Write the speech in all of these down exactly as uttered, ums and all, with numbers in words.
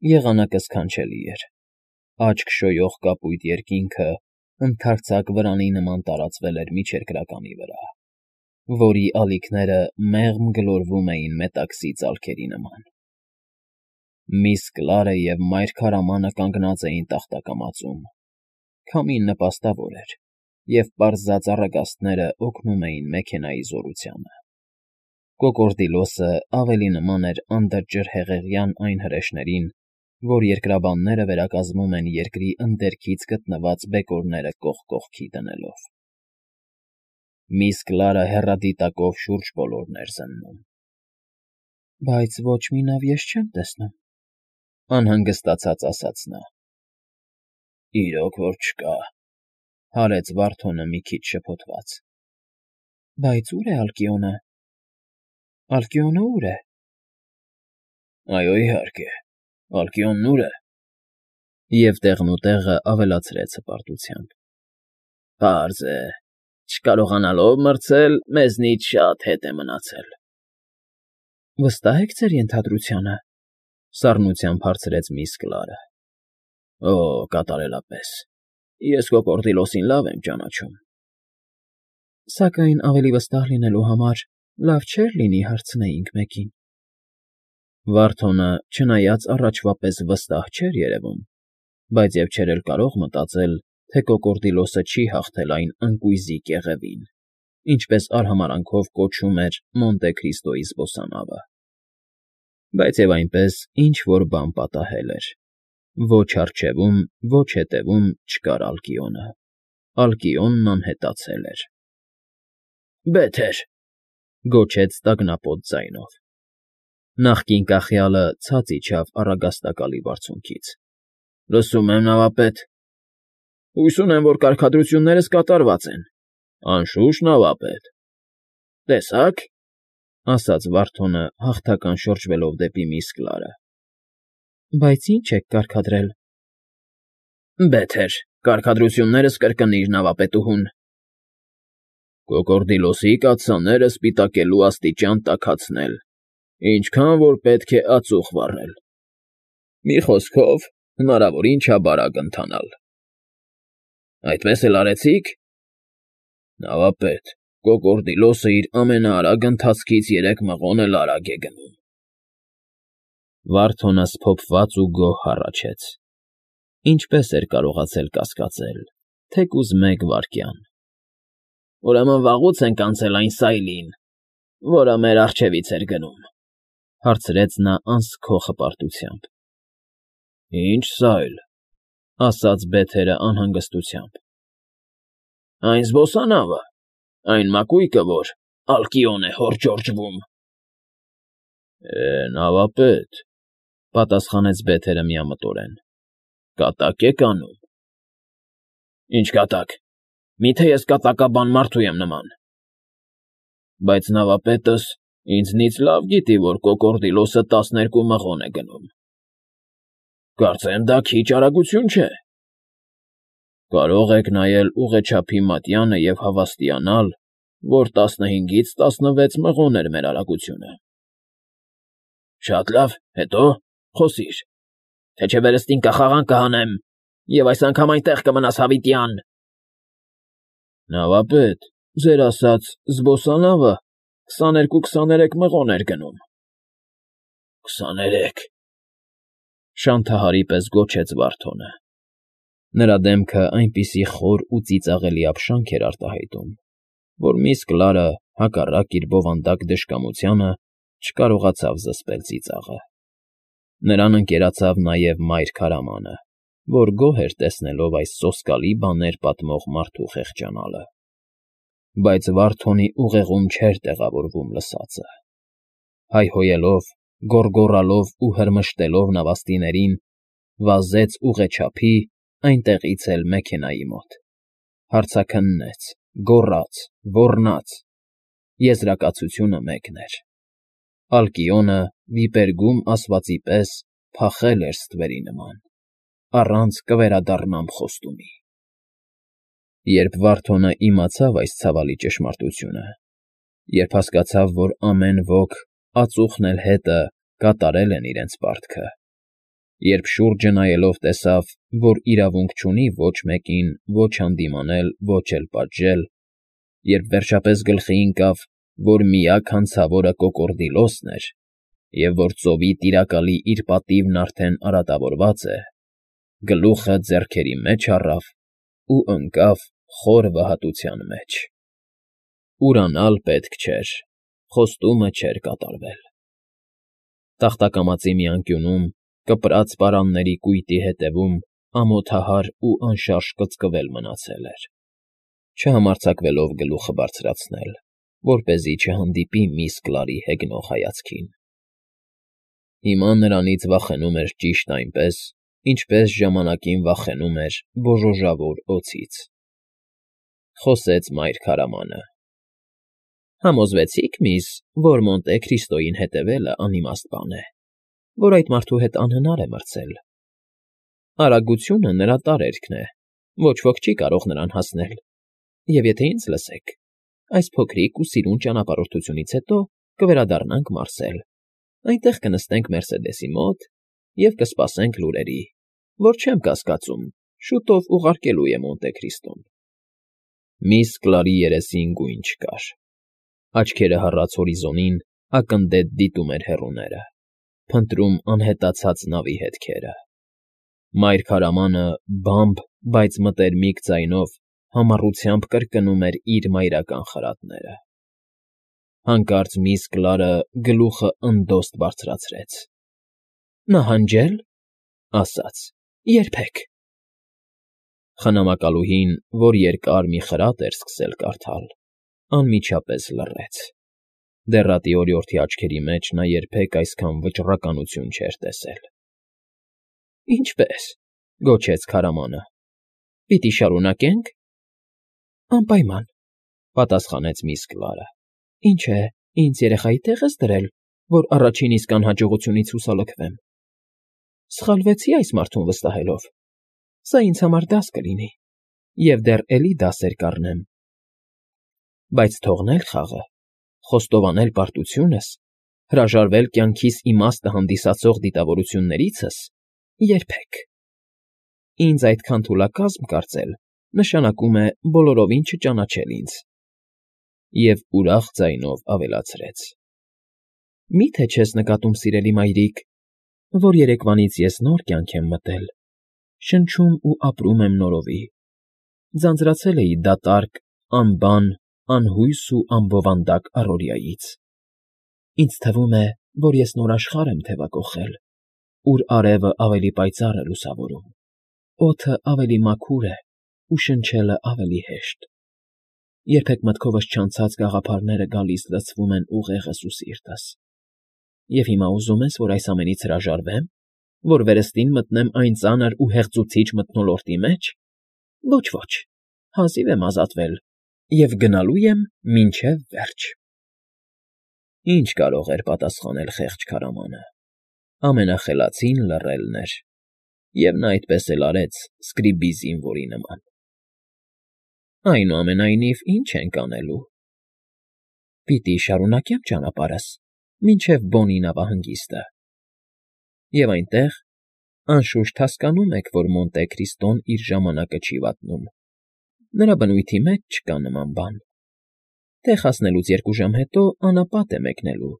Եղանակը սքանչելի էր, աչք շոյող կապույտ երկինքը ընդարձակ վրանի նման տարածվել էր միջերկրականի վրա, որի ալիքները մեղմ գլորվում էին մետաքսի ծալքերի նման։ Միս Կլարը և մայր քարամանը կանգնած էին տախտակամածում, քամին նպաստավոր էր, և պարզած առագաստները օգնում էին մեքենայի զորությանը։ Կոկորդիլոսը ավելի նման էր անդրջրհեղեղյան այն հրեշներին, որ երկրաբանները վերակազմում են երկրի ընդերքից գտնված բեկորները կողք կողքի դնելով։ Միս Կլարը հեռադիտակով շուրջ բոլորն էր զննում։ ֊ Բայց ոչ մի նավ ես չեմ տեսնում,֊ անհանգստացած ասաց նա։ ֊ Իրոք որ չկա,֊ հարեց Վարդոնը մի քիչ շփոթված։ ֊ Բայց ո՞ւր է Ալկիոնը։ Ալկիոնը ո՞ւր է։ ֊ Այո, իհարկե, Ալկիոնն ո՞ւր է,֊ և տեղնուտեղը ավելացրեց հպարտությամբ,֊ Պարզ է, չկարողանալով մրցել, մեզնից շատ հետ է մնացել։ ֊ Վստահ եք ձեր ենթադրությանը,֊ սառնությամբ հարցրեց միս Կլարը։ ֊ Օ, կատարելապես, ես Կոկորդիլոսին լավ եմ ճանաչում։ ֊ Սակայն ավելի վստահ լինելու համար լավ չէր լինի հարցնեինք մեկին։ Վարդոնը, չնայած առաջվա պես վստահ չէր երևում, բայց և չէր էլ կարող մտածել, թե Կոկորդիլոսը չի հաղթել այն ընկույզի կեղևին, ինչպես արհամարհանքով կոչում էր Մոնտե Քրիստոյի զբոսանավը։ Բայց և այնպես ինչ֊որ բան պատահել էր. ոչ առջևում, ոչ հետևում չկար Ալկիոնը, Ալկիոնն անհետացել էր։ ֊ Բեթեր,֊ գոչեց տագնապոտ ձայնով։ Նախկին կախյալը ցած իջավ առագաստակալի բարձունքից։ ֊ Լսում եմ, նավապետ։ ֊ Հույս ունեմ, որ կարգադրություններս կատարված են։ ֊ Անշուշտ, նավապետ։ ֊ Տեսա՞ք,֊ ասաց Վարդոնը, հաղթական շրջվելով դեպի միս Կլարը։ ֊ Բայց ի՞նչ եք կարգադրել։ ֊ Բեթեր, կարգադրություններս կրկնիր, նավապետուհուն։ ֊ Կոկորդիլոսի կաթսաները սպիտակելու աստիճան տաքացնել, ինչքան որ պետք է ածուխ վառել։ Մի խոսքով, հնարավորին չափ արագ ընթանալ։ ֊ Այդպես էլ արեցի՞ք։ ֊ Նավապետ, Կոկորդիլոսը իր ամենաարագ ընթացքից երեք մղոն էլ արագ է գնում։ Վարդոնը սփոփված ու գոհ հառաչեց. ինչպե՜ս էր կարողացել կասկածել, թեկուզ մեկ վայրկյան։ ֊ Ուրեմն վաղուց ենք անցել այն սայլին, որը մեր առջևից էր գնում,֊ հարցրեց նա անսքող հպարտությամբ։ ֊ Ի՞նչ սայլ,֊ ասաց Բեթերը անհանգստությամբ։ ֊ Այն զբոսանավը, այն մակույկը, որ Ալկիոն է հորճորջվում։ ֊ Է, նավապետ,֊ պատասխանեց Բեթերը միամտորեն,֊ կատակ եք անում։ ֊ Ի՞նչ կատակ, մի՞թե ես կատակաբան մարդու եմ նման։ ֊ Բայց նավապետս ինձնից լավ գիտի, որ Կոկորդիլոսը տասներկու մղոն է գնում։ ֊ Կարծեմ դա քիչ արագություն չէ։ ֊ Կարող եք նայել ուղեչափի մատյանը և հավաստիանալ, որ տասնհինգից տասնվեց մղոն էր մեր արագությունը։ ֊ Շատ լավ, հետո՞, խոսիր, թե չէ վերստին կախաղան կհանեմ, և այս անգամ այնտեղ կմնաս հավիտյան։ ֊ Նավապետ, ձեր ասած զբոսանավը քսաներկու֊քսաներեք մղոն էր գնում։ ֊ Քսաներեք,֊ շանթահարի պես գոչեց Վարդոնը։ Նրա դեմքը այնպիսի խոր ու ծիծաղելի ապշանք էր արտահայտում, որ միս Կլարը, հակառակ իր բովանդակ դժկամությանը, չկարողացավ զսպել ծիծաղը։ Նրան ընկերացավ նաև մայր քարամանը, որ գոհ էր տեսնելով այս սոսկալի բաներ պատմող մարդու խեղճանալը։ Բայց Վարդոնի ուղեղում չէր տեղավորվում լսածը։ Հայհոյելով, գոռգոռալով ու հրմշտելով նավաստիներին, վազեց ուղեչափի, այնտեղից էլ մեքենայի մոտ։ Հարցաքննեց, գոռաց, ոռնաց. եզրակացությունը մեկն էր. Ալկիոնը, վիպերգում ասվածի պես, փախել էր ստվերի նման, առանց կվերադառնամ խոստումի։ Երբ Վարդոնը իմացավ այս ցավալի ճշմարտությունը, երբ հասկացավ, որ ամեն ոք, ածուխն էլ հետը, կատարել են իրենց պարտքը, Երբ շուրջը նայելով տեսավ, որ իրավունք չունի ոչ մեկին ոչ հանդիմանել, ոչ էլ պատժել, երբ վերջապես գլխի ընկավ, որ միակ հանցավորը Կոկորդիլոսն էր, և որ ծովի Տիրակալի իր պատիվն արդեն արատավորված է, գլուխը ձեռքերի մեջ առավ ու ընկավ խոր վհատության մեջ. ուրանալ պետք չէր, խոստումը չէր կատարվել. տախտակամածի մի անկյունում, կպրած պարանների կույտի հետևում ամոթահար ու անշարժ կծկվել մնացել էր, չհամարձակվելով գլուխը բարձրացնել, որպեսզի չհանդիպի միս Կլարի հեգնող հայացքին. հիմա նրանից վախենում էր ճիշտ այնպես, ինչպես ժամանակին վախենում էր բոժոժավոր օձից. խոսեց մայր քարամանը. Համոզվեցի՞ք, միս, որ Մոնտե Քրիստոյին հետևելը անիմաստ բան է, որ այդ մարդու հետ անհնար է մրցել. արագությունը նրա տարերքն է, ոչ ոք չի կարող նրան հասնել, և եթե ինձ լսեք, այս փոքրիկ ու սիրուն ճանապարհորդությունից հետո կվերադառնանք Մարսել, այնտեղ կնստենք Մերսեդեսի մոտ և կսպասենք լուրերի, որ չեմ կասկածում, շուտով ուղարկելու է Մոնտե Քրիստոն։ Միս Կլարի երեսին գույն չկար, աչքերը հառած հորիզոնին ակնդետ դիտում էր հեռուները, փնտրում անհետացած նավի հետքերը։ Մայր քարամանը բամբ, բայց մտերմիկ ձայնով համառությամբ կրկնում էր իր մայրական խրատները։ Հանկարծ միս Կլարը գլուխը ընդոստ բարձրացրեց. Նահանջե՞լ, ասաց, երբեք… Խնամակալուհին, որ երկար մի խրատ էր սկսել կարդալ, անմիջապես լռեց. դեռատի օրիորդի աչքերի մեջ նա երբեք այսքան վճռականություն չէր տեսել։ Ինչպե՞ս,֊ գոչեց քարամանը,֊ պիտի շարունակե՞նք։ Անպայման,֊ պատասխանեց միս Կլարը։ Ինչ է, ինձ երեխայի տեղ ես դրել, որ առաջին իսկ անհաջողությունից հուսալքվեմ։ Սխալվեցի այս մարդուն վստահելով, սա ինձ համար դաս կլինի, և դեռ էլի դասեր կառնեմ։ Բայց թողնել խաղը, խոստովանել պարտությունս, հրաժարվել կյանքիս իմաստը հանդիսացող դիտավորություններիցս՝ երբեք… Ինձ այդքան թուլակազմ կարծել նշանակում է բոլորովին չճանաչել ինձ… Եվ ուրախ ձայնով ավելացրեց. Մի՞թե չես նկատում, սիրելի մայրիկ, որ երեկվանից ես նոր կյանք եմ մտել, շնչում ու ապրում եմ նորովի, ձանձրացել էի դատարկ, անբան, անհույս ու անբովանդակ առօրյայից… Ինձ թվում է, որ ես նոր աշխարհ եմ թևակոխել, ուր արևը ավելի պայծառ է լուսավորում, օդը ավելի մաքուր է ու շնչելը ավելի հեշտ… Երբեք մտքովս չանցած գաղափարները գալիս լցվում են ուղեղս ու սիրտս… Եվ հիմա ուզում ես, որ այս ամենից հրաժարվե՞մ, որ վերստին մտնեմ այն ծանր ու հեղձուցիչ մթնոլորտի մեջ… Ոչ, ոչ, հազիվ եմ ազատվել և գնալու եմ մինչև վերջ… Ինչ կարող էր պատասխանել խեղճ քարամանը… Ամենախելացին լռելն էր, և նա այդպես էլ արեց սկրիբի զինվորի նման… Այնուամենայնիվ, ինչ ենք անելու… Պիտի շարունակեմ ճանապարհս մինչև Բոնի նավահանգիստը… Եվ այնտեղ, անշուշտ, հասկանում եք, որ Մոնտե Քրիստոն իր ժամանակը չի վատնում, նրա բնույթի մեջ չկա նման բան… Տեղ հասնելուց երկու ժամ հետո անապատ է մեկնելու…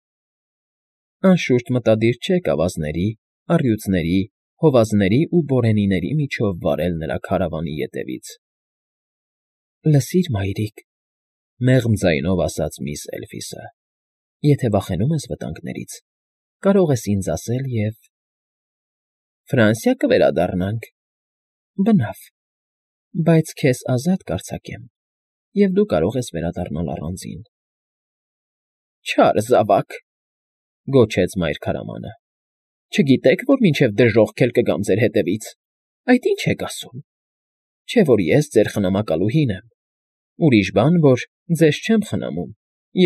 Անշուշտ մտադիր չեք ավազների, առյուծների, հովազների ու բորենիների միջով վարել նրա քարավանի ետևից… Լսիր, մայրիկ,֊ մեղմ ձայնով ասաց միս Էլֆիսը,֊ եթե վախենում ես վտանգներից, կարող ես ինձ ասել և… Ֆրանսիա կվերադառնանք… Բնավ… Բայց քեզ ազատ կարձակեմ, և դու կարող ես վերադառնալ առանձին… Չար զավակ,֊ գոչեց մայր քարամանը,֊ Չգիտե՞ք, որ մինչև դժոխք էլ կգամ ձեր հետևից… Այդ ի՞նչ եք ասում… Չէ՞ որ ես ձեր խնամակալուհին եմ… Ուրիշ բան, որ ձեզ չեմ խնամում,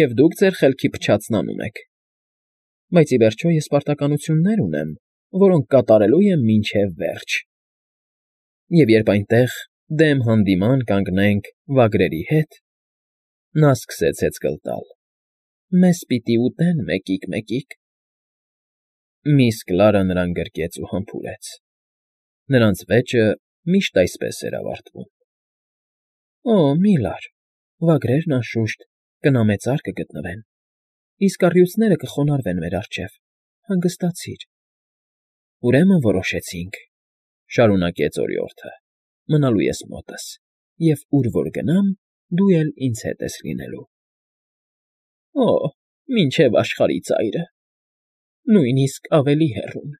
և դուք ձեր խելքի փչացն անում եք… Բայց ի վերջո ես պարտականություններ ունեմ, որոնք կատարելու եմ մինչև վերջ… Եվ երբ այնտեղ, դեմ հանդիման կանգնենք վագրերի հետ, նա սկսեց հեծկլ տալ, մեզ պիտի ուտեն մեկիկ֊մեկիկ… Միս Կլարը նրան գրկեց ու համբուրեց։ Նրանց վեճը միշտ այսպես էր ավարտվում։ ֊ Օ, մի լար, վագրերն, անշուշտ, կնամեծար կգտնվեն, իսկ առյուծները կխոնարհվեն մեր առջև, հանգստացիր։ ֊ Ուրեմն որոշեցինք,֊ շարունակեց օրիորդը,֊ մնալու ես մոտս, և ուր որ գնամ, դու էլ ինձ հետ ես լինելու։ ֊ Օ, մինչև աշխարհի ծայրը, նույնիսկ ավելի հեռուն,֊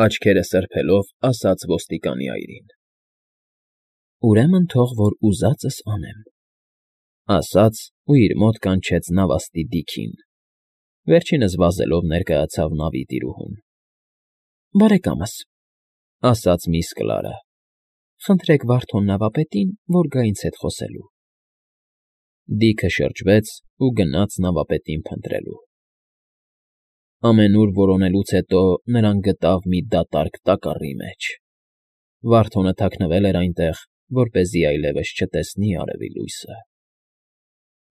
աչքերը սրբելով ասաց ոստիկանի այրին։ ֊ Ուրեմն թող որ ուզածս անեմ,֊ ասաց ու իր մոտ կանչեց նավաստի Դիքին. վերջինս վազելով ներկայացավ նավի տիրուհուն։ ֊ Բարեկամս,֊ ասաց միս Կլարը,֊ խնդրեք Վարդոն նավապետին, որ գա ինձ հետ խոսելու։ Դիքը շրջվեց ու գնաց նավապետին փնտրելու։ Ամենուր որոնելուց հետո նրան գտավ մի դատարկ տակառի մեջ։ Վարդոնը թաքնվել էր այնտեղ, որպեսզի այլևս չտեսնի արևի լույսը։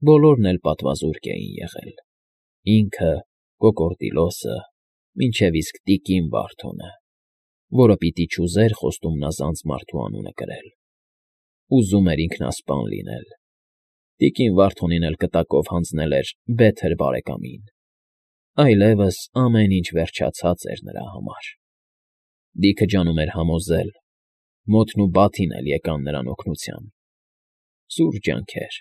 Բոլորն էլ պատվազուրկ էին եղել. ինքը, կոկորդիլոսը, մինչև իսկ տիկին Վարդոնը, որը պիտի չուզեր խոստումնազանց մարդու անունը կրել։ Ուզում էր ինքնասպան լինել։ Տիկին Վարդոնին էլ կտակով հանձնել էր Բեթր բարեկամին։ Այլևս ամեն ինչ վերջացած էր նրա համար։ Դիքը ջանում էր համոզել, մոթն ու բաթին էլ եկան նրան օգնության։ Սուր ջանքեր,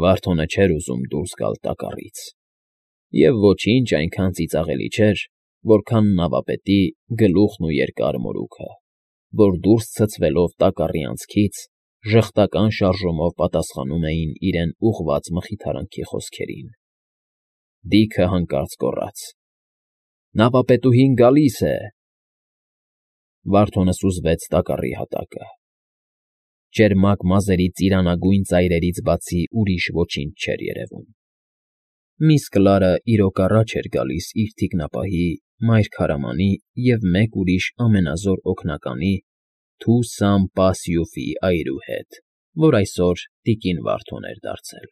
Վարդոնը չէր ուզում դուրս գալ տակառից։ Եվ ոչինչ այնքան ծիծաղելի չէր, որքան նավապետի գլուխն ու երկար մորուքը, որ դուրս ցցվելով տակառի անցքից, ժխտական շարժումով պատասխանում էին իրեն ուղղված մխիթարանքի խոսքերին։ Դիքը հանկարծ գոռաց. «Նավապետուհին գալիս է»։ Վարդոնը սուզվեց տակառի հատակը։ Ճերմակ մազերի ծիրանագույն ծայրերից բացի ուրիշ ոչինչ չէր երևում։ Միս Կլարը իրոք առաջ էր գալիս իր թիկնապահի, մայր քարամանի և մեկ ուրիշ ամենազոր օգնականի՝ Թու Սամ Պա Սիուֆի այրու հետ, որ այսօր տիկին Վարդոն էր դարձել։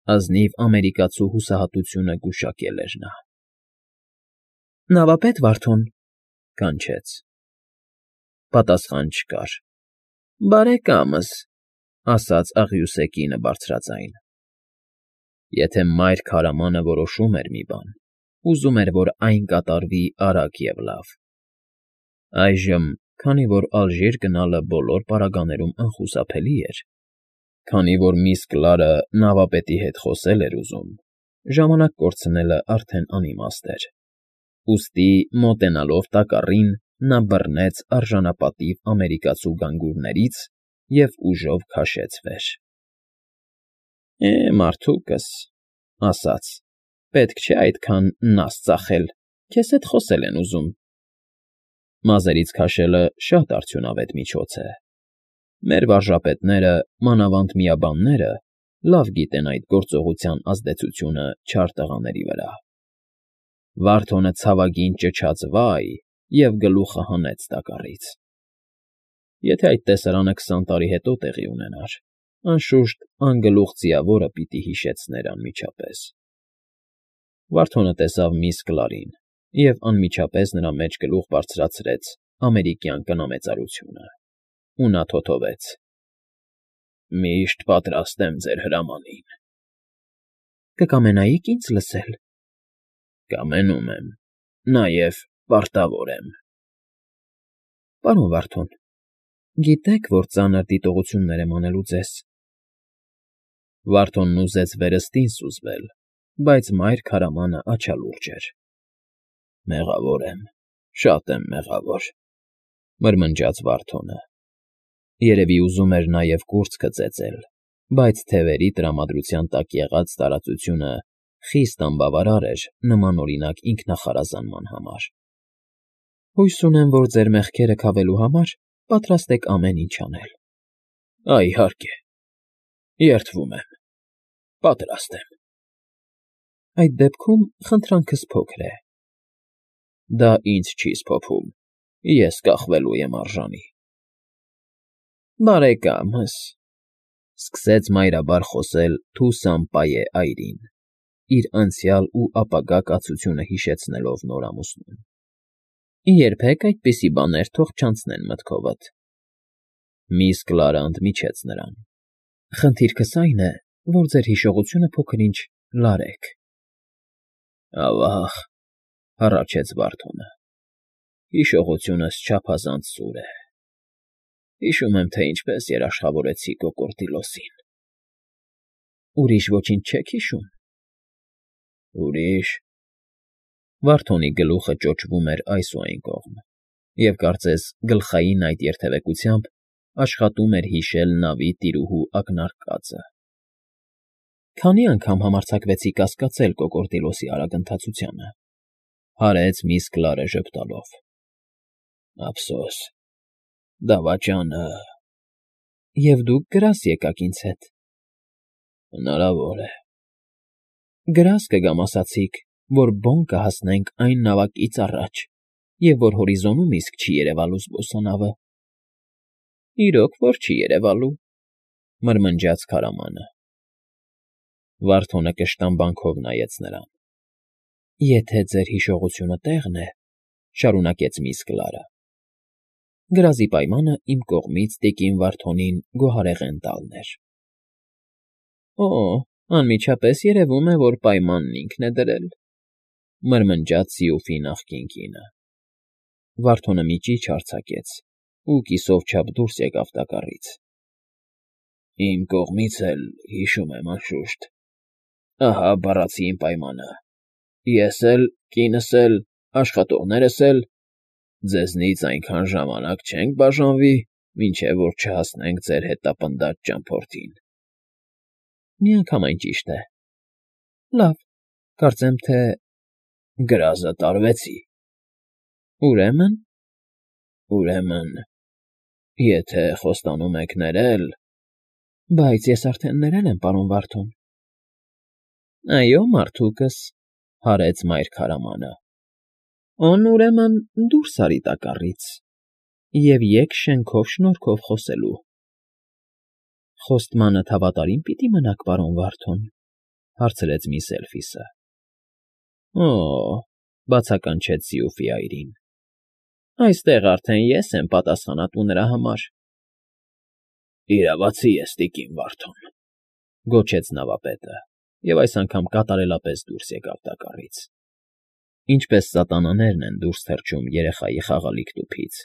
Ազնիվ ամերիկացու հուսահատությունը գուշակել էր նա։ ֊ Նավապետ Վարդոն,֊ կանչեց։ Պատասխան չկար։ ֊ Բարեկամս,֊ ասաց աղյուսե կինը բարձրաձայն։ Եթե մայր քարամանը որոշում էր մի բան, ուզում էր, որ այն կատարվի արագ և լավ։ Այժմ, քանի որ Ալժիր գնալը բոլոր պարագաներում անխուսափելի էր, քանի որ միս Կլարը նավապետի հետ խոսել էր ուզում, ժամանակ կորցնելը արդեն անիմաստ էր, ուստի, մոտենալով տակառին, նա բռնեց արժանապատիվ ամերիկացու գանգուրներից և ուժով քաշեց վեր։ ֊ Է, մարդուկս,֊ ասաց,֊ պետք չէ այդքան նազ ծախել, քեզ հետ խոսել են ուզում։ Մազերից քաշելը շատ արդյունավետ միջոց է։ Մեր վարժապետները, մանավանդ միաբանները, լավ գիտեն այդ գործողության ազդեցությունը չար տղաների վրա։ Վարդոնը ցավագին ճչաց «վայ» և գլուխը հանեց տակառից։ Եթե այդ տեսարանը քսան տարի հետո տեղի ունենար, անշուշտ, անգլուխ ձիավորը պիտի հիշեցներ անմիջապես։ Վարդոնը տեսավ միս Կլարին և անմիջապես նրա մեջ գլուխ բարձրացրեց ամերիկյան կնամեծարությունը, ու նա թոթովեց. «Միշտ պատրաստ եմ ձեր հրամանին»։ ֊ Կկամենայի՞ք ինձ լսել։ ֊ Կամենում եմ, նաև պարտավոր եմ։ ֊ Պարոն Վարդոն, գիտեք, որ ծանր դիտողություններ եմ անելու ձեզ։ Վարդոնն ուզեց վերստին սուզվել, բայց մայր քարամանը աչալուրջ էր։ ֊ Մեղավոր եմ, շատ եմ մեղավոր,֊ մրմնջաց Վարդոնը։ Երևի ուզում էր նաև կուրծքը ծեծել, բայց թևերի տրամադրության տակ եղած տարածությունը խիստ անբավարար էր նմանօրինակ ինքնախարազանման համար։ ֊ Հույս ունեմ, որ ձեր մեղքերը քավելու համար պատրաստ եք ամեն ինչ անել։ ֊ Այ, իհարկե, երդվում եմ, պատրաստ եմ։ ֊ Այդ դեպքում խնդրանքս փոքր է։ ֊ Դա ինձ չի սփոփում, ես կախվելու եմ արժանի։ ֊ Բարեկա՛մս,֊ սկսեց մայրաբար խոսել Թու Սամ Պայե այրին, իր անցյալ ու ապագա կացությունը հիշեցնելով նոր ամուսնուն։ Երբեք այդպիսի բաներ թող չանցնեն մտքովդ։ Միս Կլարը ընդմիջեց նրան. Խնդիրքս այն է, որ ձեր հիշողությունը փոքր-ինչ լարեք։ Ավա՜ղ, հառաչեց Վարդոնը, հիշողությունս չափազանց սուր է։ Հիշում եմ, թե ինչպես երաշխավորեցի կոկորդիլոսին։ Ուրիշ ոչինչ չեք հիշում։ Ուրիշ… Վարդոնի գլուխը ճոճվում էր այս ու այն կողմ, և կարծես գլխային այդ երթևեկությամբ աշխատում էր հիշել նավի տիրուհու ակնարկածը։ Քանի՞ անգամ համարձակվեցիք կասկածել կոկորդիլոսի արագընթացությանը,֊ հարեց միս Կլարը ժպտալով։ Ափսոս, դավաճանը… Եվ դուք գրազ եկաք ինձ հետ։ Հնարավոր է։ Գրազ կգամ ասացիք, որ բոն կհասնենք այն նավակից առաջ, և որ հորիզոնում իսկ չի երևալու զբոսանավը։ Իրոք որ չի երևալու,֊ մրմնջաց քարամանը։ Վարդոնը կշտամբանքով նայեց նրան։ Եթե ձեր հիշողությունը տեղն է,֊ շարունակեց միս Կլարը,֊ գրազի պայմանը իմ կողմից տիկին Վարդոնին գոհարեղեն տալն էր։ Օ՜, անմիջապես երևում է, որ պայմանն ինքն է դրել,֊ մրմնջաց սիուֆի նախկին կինը։ Վարդոնը մի ճիչ արձակեց ու կիսով չափ դուրս եկավ տակառից։ Իմ կողմից էլ, հիշում եմ, անշուշտ, ահա բառացի իմ պայմանը. ես էլ, կինս էլ, աշխատողներս էլ ձեզնից այնքան ժամանակ չենք բաժանվի, մինչև որ չհասնենք ձեր հետապնդած ճամփորդին։ Միանգամայն ճիշտ է։ Լավ, կարծեմ թե… Գրազը տարվեցի։ Ուրեմն… Ուրեմն… Եթե խոստանում եք ներել… Բայց ես արդեն ներել եմ, պարոն Վարդոն։ Այո, մարդուկս,֊ հարեց մայր քարամանը։ Ան ուրեմն դուրս արի տակառից և եկ շենքով շնորհքով խոսելու։ Խոստմանդ հավատարի՞մ պիտի մնաք, պարոն Վարդոն,֊ հարցրեց միս Էլֆիսը։ Օ՜, բացականչեց սիուֆի այրին, այստեղ արդեն ես եմ պատասխանատու նրա համար։ Իրավացի ես, տիկին Վարդոն,֊ գոչեց նավապետը և այս անգամ կատարելապես դուրս եկավ տակառից։ Ինչպես սատանաներն են դուրս թռչում երեխայի խաղալիք տուփից՝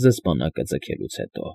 զսպանակը ձգելուց հետո։